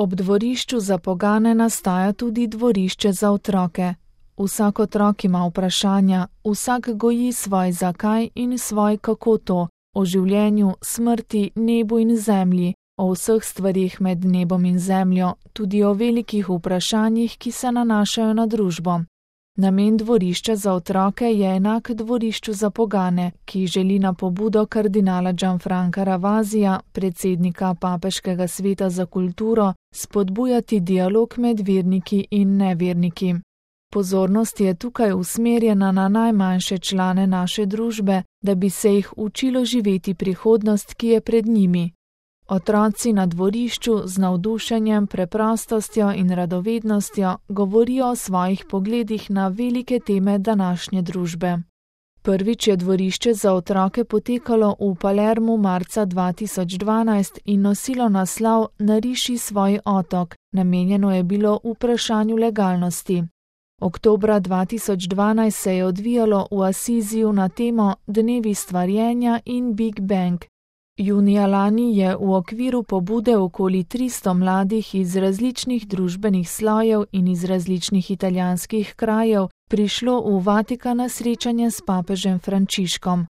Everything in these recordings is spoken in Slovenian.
Ob dvorišču za pogane nastaja tudi dvorišče za otroke. Vsak otrok ima vprašanja, vsak goji svoj zakaj in svoj kako to, o življenju, smrti, nebu in zemlji, o vseh stvarih med nebom in zemljo, tudi o velikih vprašanjih, ki se nanašajo na družbo. Namen dvorišča za otroke je enak dvorišču za pogane, ki želi na pobudo kardinala Gianfranca Ravasija, predsednika Papeškega sveta za kulturo, spodbujati dialog med verniki in neverniki. Pozornost je tukaj usmerjena na najmanjše člane naše družbe, da bi se jih učilo živeti prihodnost, ki je pred njimi. Otroci na dvorišču z navdušenjem, preprostostjo in radovednostjo govorijo o svojih pogledih na velike teme današnje družbe. Prvič je dvorišče za otroke potekalo v Palermu marca 2012 in nosilo naslov Nariši svoj otok, namenjeno je bilo vprašanju legalnosti. Oktobra 2012 se je odvijalo v Asiziju na temo Dnevi stvarjenja in Big Bang. Junija lani je v okviru pobude okoli 300 mladih iz različnih družbenih slojev in iz različnih italijanskih krajev prišlo v Vatikan na srečanje s papežem Frančiškom.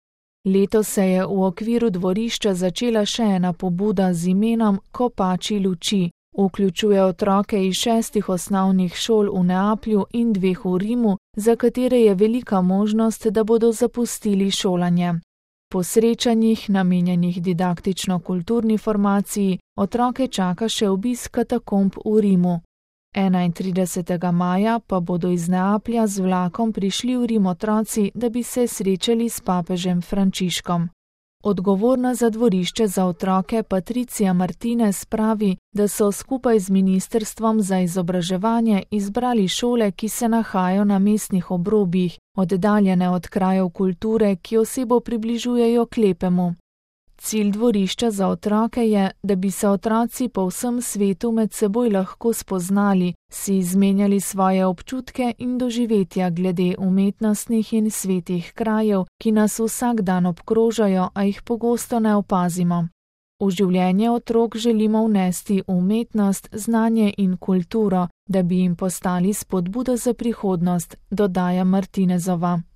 Letos se je v okviru dvorišča začela še ena pobuda z imenom Kopači luči. Vključuje otroke iz 6 osnovnih šol v Neaplju in 2 v Rimu, za katere je velika možnost, da bodo zapustili šolanje. Po srečanjih, namenjenih didaktično-kulturni formaciji, otroke čaka še obisk katakomb v Rimu. 31. maja pa bodo iz Neaplja z vlakom prišli v Rim otroci, da bi se srečali s papežem Frančiškom. Odgovorna za dvorišče za otroke Patricia Martinez pravi, da so skupaj z Ministrstvom za izobraževanje izbrali šole, ki se nahajajo na mestnih obrobjih, oddaljene od krajev kulture, ki osebo približujejo k lepemu. Cilj dvorišča za otroke je, da bi se otroci po vsem svetu med seboj lahko spoznali, si izmenjali svoje občutke in doživetja glede umetnostnih in svetih krajev, ki nas vsak dan obkrožajo, a jih pogosto ne opazimo. V življenje otrok želimo vnesti umetnost, znanje in kulturo, da bi jim postali spodbuda za prihodnost, dodaja Martinezova.